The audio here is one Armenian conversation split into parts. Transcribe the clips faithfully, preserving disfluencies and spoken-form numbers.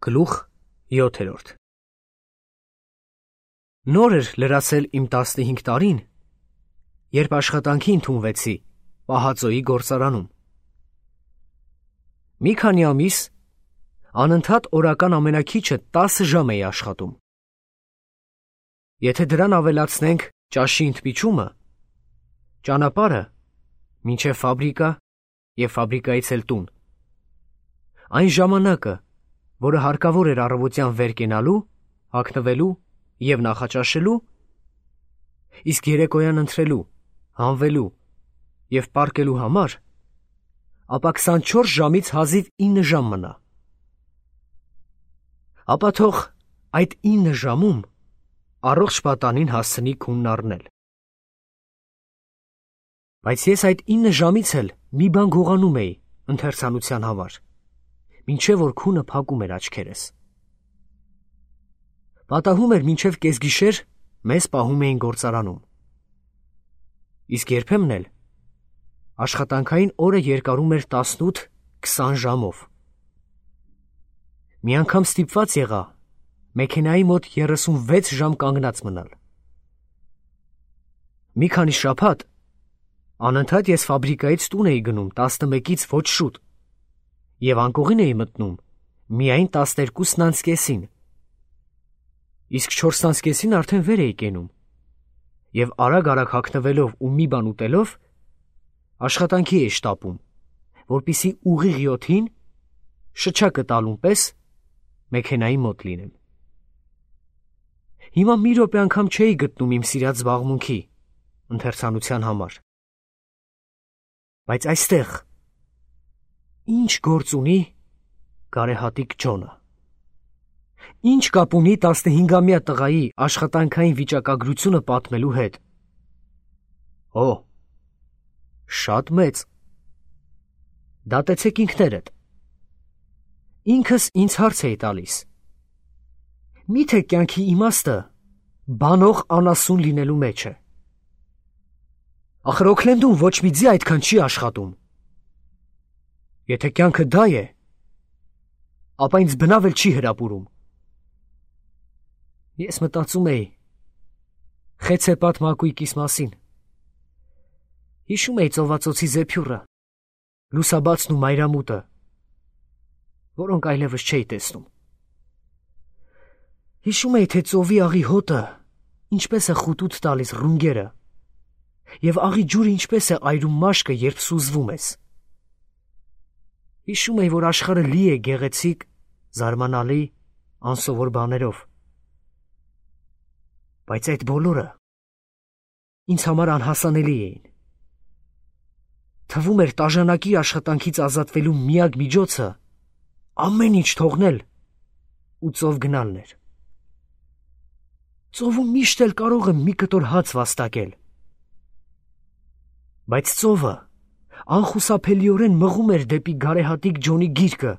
Գլուխ յոթերորդ Նոր էր լրացել իմ տասնհինգ տարին, երբ աշխատանքի ընդունվեցի Պահածոյի գործարանում։ Մի քանի ամիս անընդհատ օրական ամենաքիչը տասը ժամ էի աշխատում։ Եթե դրան ավելացնենք ճաշի ընդմիջումը, ճանապարհը մինչև ֆաբրիկա և ֆաբրիկայից էլ տուն, այն ժամանակը, որը հարկավոր էր առավոտյան վեր կենալու, հագնվելու և նախաճաշելու, իսկ երեկոյան ընթրելու, հանվելու և պառկելու համար, ապա քսանչորս ժամից հազիվ ինը ժամ մնա։ Ապա թող այդ ինը ժամում առողջ պատանին հասցնի քունն առնել։ Բայց ես այդ ինը ժամից էլ մի բան գողանում էի ընթերցանության համար, մինչև որ քունը փակում էր աչքերս։ Պատահում էր մինչև կեսգիշեր մեզ պահում էին գործարանում։ Իսկ երբեմն էլ աշխատանքային օրը երկարում էր տասնութ-քսան ժամով։ Մի անգամ ստիպված եղա մեքենայի մոտ երեսունվեց ժամ կանգնած մնալ։ Մի քանի շաբաթ անընդհատ ես ֆաբրիկայից տուն էի գնում տասնմեկից ոչ շուտ և անկողին էի մտնում միայն տասներկուսն անց կեսին, իսկ չորսն անց կեսին արդեն վեր էի կենում և արագ-արագ հագնվելով ու մի բան ուտելով աշխատանքի էի շտապում, որպեսզի ուղիղ յոթին շչակը տալուն պես մեքենայի մոտ լինեմ։ Հիմա մի րոպե անգամ չէի գտնում իմ սիրած զբաղմունքի ընթերցանության համար։ Բայց այստեղ ի՞նչ գործ ունի գարեհատիկ Ջոնը։ Ի՞նչ կապ ունի տասնհինգամյա տղայի աշխատանքային վիճակագրությունը պատմելու հետ։ Օ, շատ մեծ։ Դատեցեք ինքներդ։ Ինքս ինձ հարց էի տալիս. միթե կյանքի իմաստը բանող անասուն լինելու մեջ է։ Ախր Օքլենդում ոչ մի ձի այդքան չի աշխատում։ Եթե կյանքը դա է, ապա ինձ բնավ էլ չի հրապուրում։ Ես մտածում էի խեցեպատ մակույկիս մասին։ Հիշում էի ծովածոցի զեփյուռը, լուսաբացն ու մայրամուտը, որոնք այլևս չէի տեսնում։ Հիշում էի, թե ծովի աղի հոտը ինչպես է խուտուտ տալիս ռունգերը և աղի ջուրը ինչպես է այրում մաշկը, երբ սուզվում ես։ Հիշում էի, որ աշխարհը լի է գեղեցիկ, զարմանալի, անսովոր բաներով։ Բայց այդ բոլորը ինձ համար անհասանելի էին։ Թվում էր տաժանակիր աշխատանքից ազատվելու միակ միջոցը ամեն ինչ թողնել ու ծով գնալն էր։ Ծովում միշտ էլ կարող եմ մի կտոր հաց վաստակել։ Բայց ծովը անխուսափելիորեն մղում էր դեպի գարեհատիկ Ջոնի գիրկը։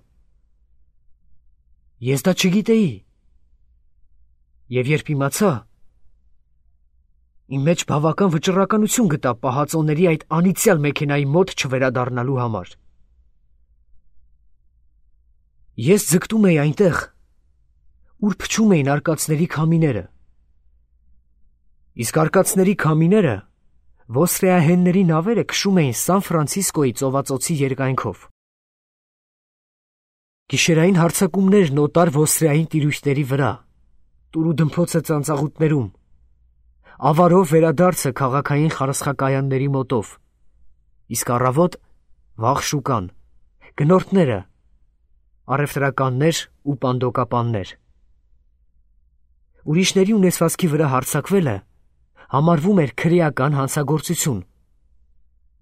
Ես դա չգիտեի։ Եվ երբ իմացա, իմ մեջ բավական վճռականություն գտա պահածոների այդ անիծյալ մեքենայի մոտ չվերադառնալու համար։ Ես ձգտում էի այնտեղ, ուր փչում էին արկածների քամիները։ Իսկ արկածների քամիները ոսրեահենների նավերը քշում էին Սան Ֆրանցիսկոյի ծովածոցի երկայնքով։ Գիշերային հարձակումներն օտար ոսրեային տիրույթների վրա, տուրուդմփոցը ծանծաղուտներում, ավարով վերադարձը քաղաքային խարսխակայանների մոտով, իսկ առավոտ վաղ շուկան, գնորդները, առևտրականներ ու պանդոկապաններ։ Ուրիշների ունեցվածքի վրա հարձակվելը համարվում էր քրեական հանցագործություն,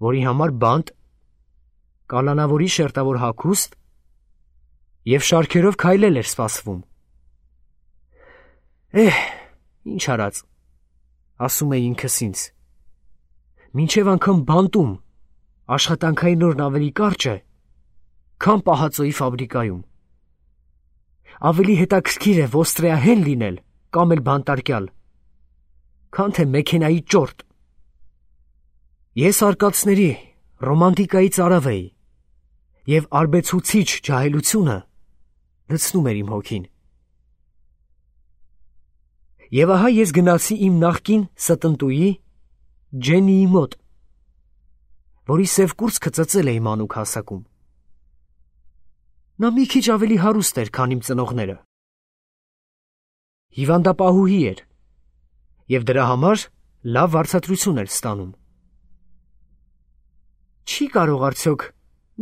որի համար բանտ, կալանավորի շերտավոր հագուստ և շարքերով քայլել էր սպասվում։ Էհ, ինչ արած, ասում էի ինքս ինձ, մինչև անգամ բանտում աշխատանքային օրն ավելի կարճ է, քան Պահածոյի ֆաբրիկայում։ Ավելի հետաքրքիր է ոստրեահեն լինել կամ էլ բանտարկյալ, քան թե մեքենայի ճորտ։ Ես արկածների ռոմանտիկայի ծարավ էի, և արբեցուցիչ ջահելությունը լցնում էր իմ հոգին։ Եվ ահա ես գնացի իմ նախկին ստնտուի Ջեննիի մոտ, որի սև կուրծքը ծծել էի մանուկ հասակում։ Նա մի քիչ ավելի հարուստ էր, քան իմ ծնողները։ Հիվանդապահուհի էր և դրա համար լավ վարձատրություն էր ստանում։ Չի կարող արդյոք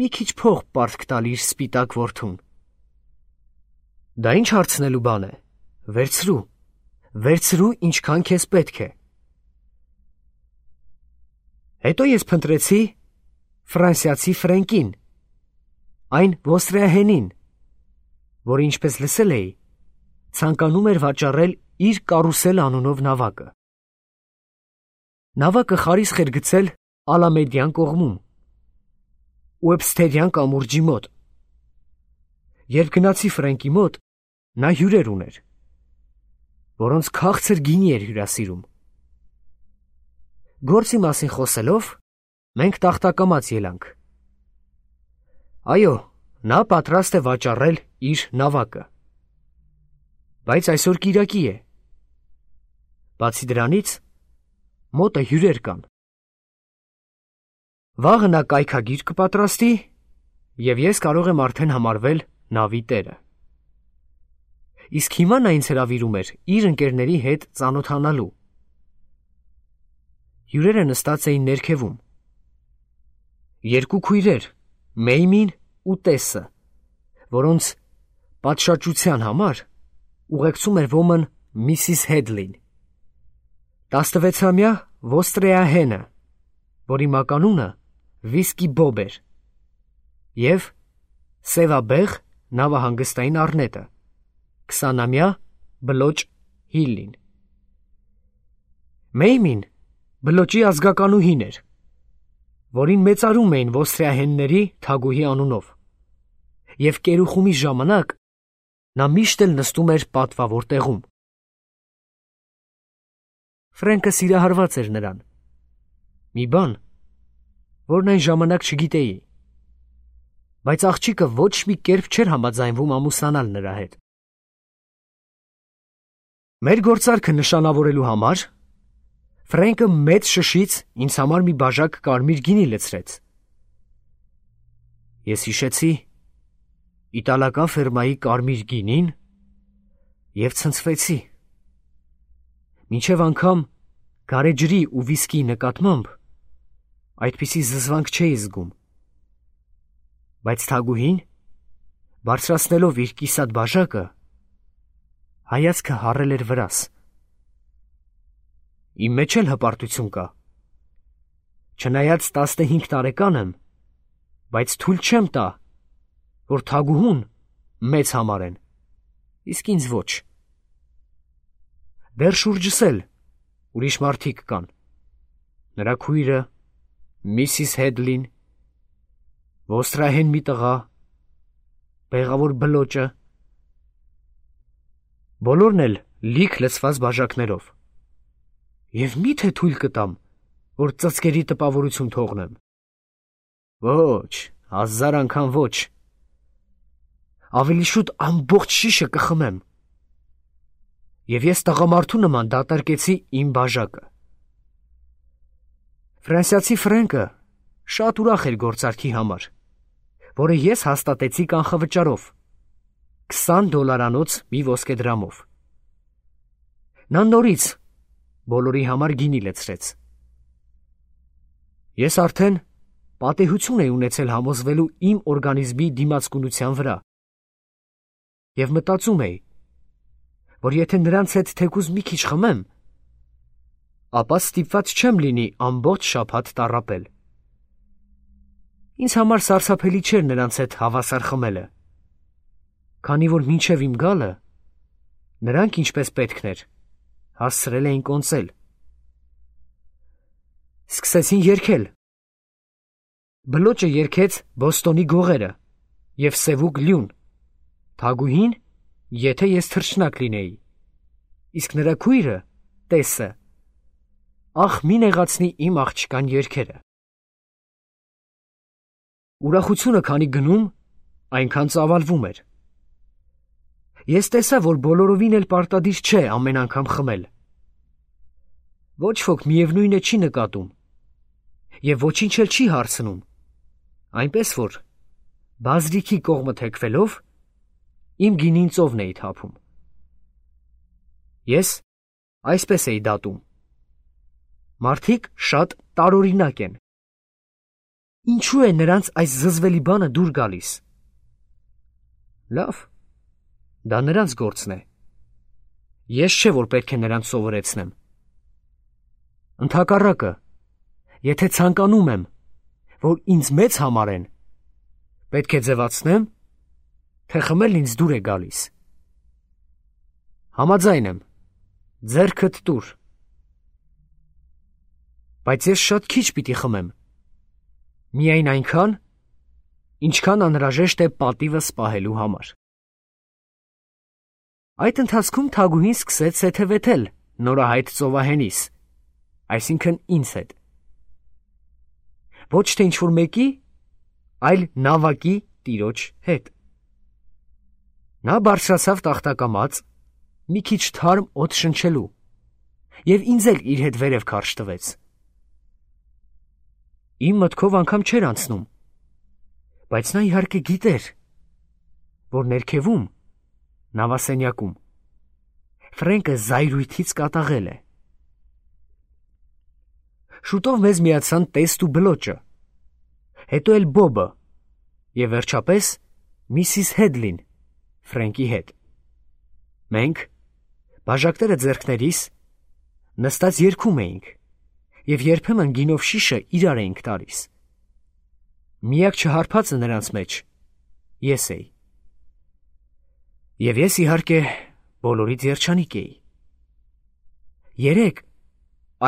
մի քիչ փող պարտք տալ իր սպիտակ որդուն։ Դա ինչ հարցնելու բան է, վերցրու, վերցրու ինչքան քեզ պետք է։ Հետո ես փնտրեցի ֆրանսիացի Ֆրենկին, այն ոստրիահենին, որը ինչպես լսել էի, ցանկանում էր վաճառել իր կարուսել անունով նավակը։ Նավակը խարիսխ էր գցել Ալամեդյան կողմում, Ուեբսթերյան կամուրջի մոտ։ Երբ գնացի Ֆրենկի մոտ, նա հյուրեր ուներ, որոնց քաղցր գինի էր հյուրասիրում։ Գործի մասին խոսելով, մենք տախտակամած ելանք։ Այո, նա պատրաստ է վաճառել իր նավակը։ Բայց այսօր կիրակի է։ Բացի դրանից, մոտը հյուրեր կան։ Վաղը նա կայքագիր կպատրաստի, և ես կարող եմ արդեն համարվել նավի տերը։ Իսկ հիմա նա ինձ հրավիրում էր իր ընկերների հետ ծանոթանալու։ Հյուրերը նստած էին ներքևում։ Երկու քույրեր, Մեյմին ու Տեսը, որոնց պատշաճության համար ուղեկցում էր ոմն Միսիս Հեդլին, տասնվեցամյա ոստրեահենը, որի մականունը Վիսկի Բոբ էր, և սևաբեղ նավահանգստային առնետը, քսանամյա Բլոճ Հիլլին։ Մեյմին Բլոճի ազգականուհին էր, որին մեծարում էին ոստրիահենների թագուհի անունով, և կերուխումի ժամանակ նա միշտ էլ նստում էր պատվավոր տեղում։ Ֆրենկը սիրահարված էր նրան, մի բան, որն այն ժամանակ չգիտեի, բայց աղջիկը ոչ մի կերպ չէր համաձայնվում ամուսնանալ նրա հետ։ Մեր գործարքը նշանավորելու համար Ֆրենկը մեծ շշից ինձ համար մի բաժակ կարմիր գինի լցրեց։ Ես հիշեցի իտալական ֆերմայի կարմիր գինին և ցնցվեցի։ Մինչև անգամ գարեջրի ու վիսկիի նկատմամբ այդպիսի զզվանք չէի զգում։ Բայց թագուհին, բարձրացնելով իր կիսատ բաժակը, հայացքը հառել էր վրաս։ Իմ մեջ էլ հպարտություն կա։ Չնայած տասնհինգ տարեկան եմ, բայց թույլ չեմ տա, որ թագուհուն մեծ համարեն, իսկ ինձ ոչ։ Դեռ շուրջս էլ ուրիշ մարդիկ կան, նրա քույրը, Միսիս Հեդլին, ոստրահեն մի տղա, բեղավոր Բլոճը, բոլորն էլ լիք լցված բաժակներով, և մի՞թե թույլ կտամ, որ ծծկերի տպավորություն թողնեմ։ Ոչ, հազար անգամ ոչ։ Ավելի շուտ ամբողջ շիշը կխմեմ։ Եվ ես տղամարդու նման դատարկեցի իմ բաժակը։ Ֆրանսիացի Ֆրենկը շատ ուրախ էր գործարքի համար, որը ես հաստատեցի կանխավճարով, քսան դոլարանոց մի ոսկեդրամով։ Նա նորից բոլորի համար գինի լցրեց։ Ես արդեն պատեհություն էի ունեցել համոզվելու իմ օրգանիզմի դիմացկունության վրա և մտածում էի, որ եթե նրանց հետ թեկուզ մի քիչ խմեմ, ապա ստիպված չեմ լինի ամբողջ շաբաթ տառապել։ Ինձ համար սարսափելի չէր նրանց հետ հավասար խմելը, քանի որ մինչև իմ գալը նրանք ինչպես պետքն էր, հասցրել էին կոնծել։ Սկսեցին երգել։ Բլոճը երգեց Բոստոնի գողերը և Սևուկ լյուն, թագուհին, եթե ես թռչնակ լինեի, իսկ նրա քույրը, Տեսը, ախ մի նեղացնի իմ աղջկան երգերը։ Ուրախությունը քանի գնում, այնքան ծավալվում էր։ Ես տեսա, որ բոլորովին էլ պարտադիր չէ ամեն անգամ խմել։ Ոչ ոք միևնույնը չի նկատում և ոչինչ էլ չի հարցնում, այնպես որ բազրիքի կողմը թեքվելով իմ գինին ծովն էի թափում։ Ես այսպես էի դատում. մարդիկ շատ տարօրինակ են։ Ինչու է նրանց այս զզվելի բանը դուր գալիս։ Լավ, դա նրանց գործն է։ Ես չէ, որ պետք է նրանց սովորեցնեմ։ Ընդհակառակը, եթե ցանկանում եմ, որ ինձ մեծ համարեն, պետք է ձևացնեմ, թե խմելն ինձ դուր է գալիս։ Համաձայն եմ, ձեռքդ տուր։ Բայց ես շատ քիչ պիտի խմեմ, միայն այնքան, ինչքան անհրաժեշտ է պատիվս պահելու համար։ Այդ ընթացքում թագուհին սկսեց սեթևեթել նորահայտ ծովահենիս, այսինքն ինձ հետ։ Ոչ թե ինչ-որ մեկի, այլ նավակի տիրոջ հետ։ Նա բարձրացավ տախտակամած, մի քիչ թարմ օդ շնչելու, և ինձ էլ իր հետ վերև քարշ տվեց։ Իմ մտքով անգամ չէր անցնում, բայց նա իհարկե գիտեր, որ ներքևում, նավասենյակում, Ֆրենկը զայրույթից կատաղել է։ Շուտով մեզ միացան տեստ ու բլոճը, հետո էլ Բոբը և վերջապես միսիս Հեդլին Ֆրենկի հետ։ Մենք, բաժակները ձեռքներիս, նստած երգում էինք և երբեմն գինով շիշը իրար էինք տալիս։ Միակ չհարբածը նրանց մեջ ես էի։ Եվ ես իհարկե բոլորից երջանիկ էի։ Երեկ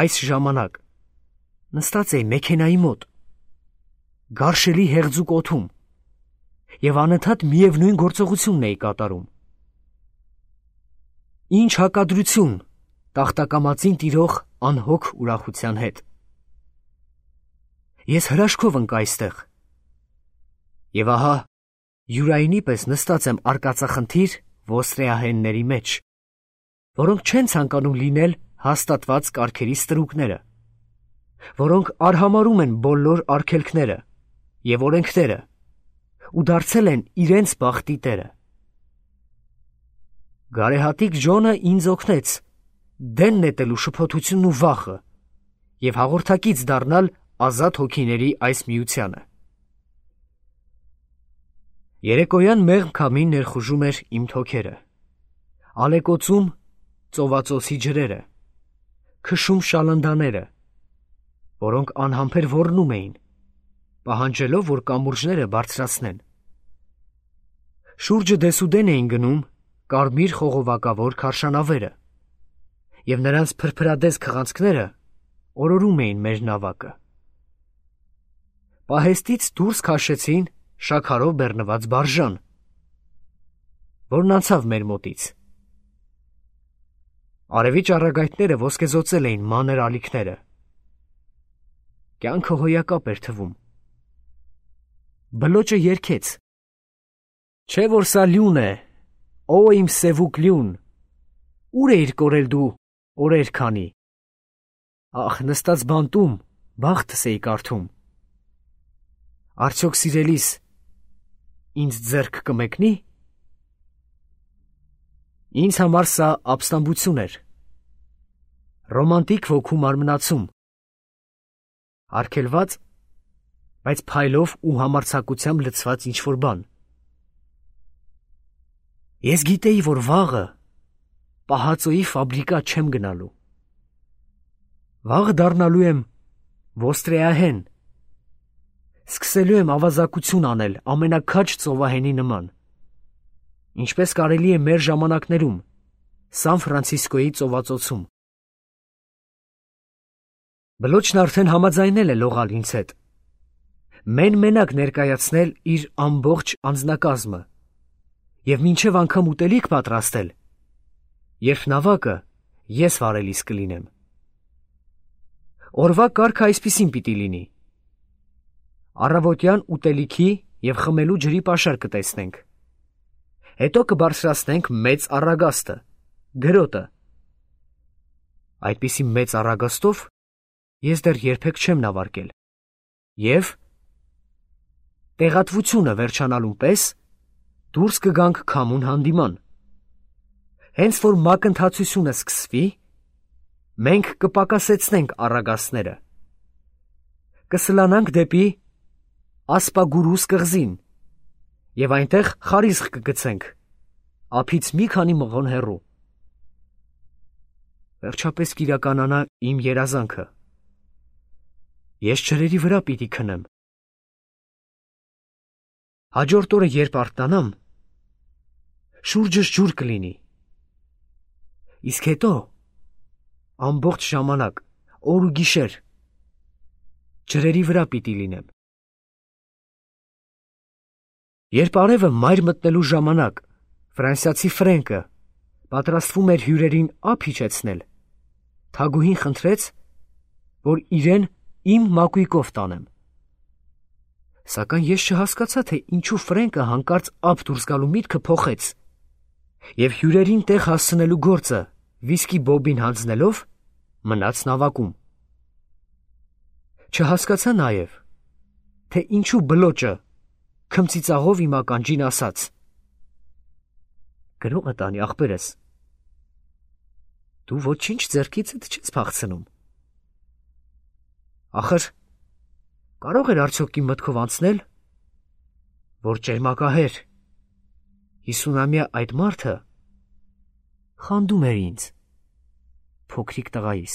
այս ժամանակ նստած էի մեքենայի մոտ, գարշելի հեղձուկ օդում և անընդհատ միևնույն գործողությունն էի կատարում։ Ինչ հակադրություն տախտակամածին տիրող անհոգ ուրախության հետ։ Ես հրաշքով ընկա այստեղ, և ահա Յուրայինի պես նստած եմ արկածախնդիր ոստրեահենների մեջ, որոնք չեն ցանկանում լինել հաստատված կարգերի ստրուկները, որոնք արհամարհում են բոլոր արգելքները և օրենքները ու դարձել են իրենց բախտի տերը։ Գարեհատիկ Ջոնը ինձ օգնեց դեն նետելու շփոթությունն ու վախը և հաղորդակից դառնալ ազատ հոգիների այս միությանը։ Երեկոյան մեղմ քամին ներխուժում էր իմ թոքերը, ալեկոծում ծովածոցի ջրերը, քշում շալնդաները, որոնք անհամբեր ոռնում էին, պահանջելով, որ կամուրջները բարձրացնեն։ Շուրջը դեսուդեն էին գնում կարմիր խողովակավոր քարշանավերը, և նրանց փրփրադես քղանցքները օրորում էին մեր նավակը։ Պահեստից դուրս քաշեցին շաքարով բեռնված բարժան, որն անցավ մեր մոտից։ Արևի ճառագայթները ոսկեզօծել էին մանր ալիքները։ Կյանքը հոյակապ էր թվում։ Բլոճը երգեց. Չէ որ սա լյուն է, ո իմ սևուկ լյուն, ուր էիր կորել դու օրեր քանի։ Ախ, նստած բանտում բախտս էի կարդում։ Արդյոք սիրելիս ինձ ձեռք կմեկնի։ Ինձ համար սա ապստամբություն էր, ռոմանտիկ ոգու մարմնացում, արգելված, բայց փայլով ու համարձակությամբ լցված ինչ-որ բան։ Ես գիտեի, որ վաղը պահածոյի ֆաբրիկա չեմ գնալու։ Վաղը դառնալու եմ ոստրեահեն, սկսելու եմ ավազակություն անել ամենաքաջ ծովահենի նման, ինչպես կարելի է մեր ժամանակներում Սան Ֆրանցիսկոյի ծովածոցում։ Բլոճն արդեն համաձայնել է լողալ ինձ հետ, մեն-մենակ ներկայացնել իր ամբողջ անձնակազմը և մինչև անգամ ուտելիք պատրաստել, երբ նավակը ես վարելիս կլինեմ։ Օրվա կարգը այսպիսին պիտի լինի. առավոտյան ուտելիքի և խմելու ջրի պաշար կտեսնենք, Հետո կբարձրացնենք մեծ առագաստը, գրոտը։ Այդպիսի մեծ առագաստով ես դեռ երբեք չեմ նավարկել։ Եվ տեղատվությունը վերջանալուն պես դուրս կգանք քամուն հանդիման։ Հենց որ մակընթացությունը սկսվի, մենք կպակասեցնենք առագաստները, կսլանանք դեպի Ասպագուրուս կղզին և այնտեղ խարիսխ կգցենք, ափից մի քանի մղոն հեռու։ Վերջապես կիրականանա իմ երազանքը։ Ես ջրերի վրա պիտի քնեմ։ Հաջորդ օրը երբ արթնանամ, շուրջս ջուր կլինի։ Իսկ հետո ամբողջ ժամանակ, օր ու գիշեր, ջրերի վրա պիտի լինեմ։ Երբ արևը մայր մտնելու ժամանակ ֆրանսիացի Ֆրենկը պատրաստվում էր հյուրերին ափ իջեցնել, թագուհին խնդրեց, որ իրեն իմ մակույկով տանեմ։ Սակայն ես չհասկացա, թե ինչու Ֆրենկը հանկարծ ափ դուրս գալու միտքը փոխեց և հյուրերին տեղ հասցնելու գործը վիսկի բոբին հանձնելով մնաց նավակում։ Չհասկացա նաև, թե ինչու բլոճը քմծիծաղով իմ ականջին ասաց. «Գրողը տանի, ախպերս, դու ոչինչ ձեռքիցդ չես փախցնում»։ Ախր կարող էր արդյոք իմ մտքով անցնել, որ ճերմակահեր հիսունամյա այդ մարդը խանդում էր ինձ, փոքրիկ տղայիս։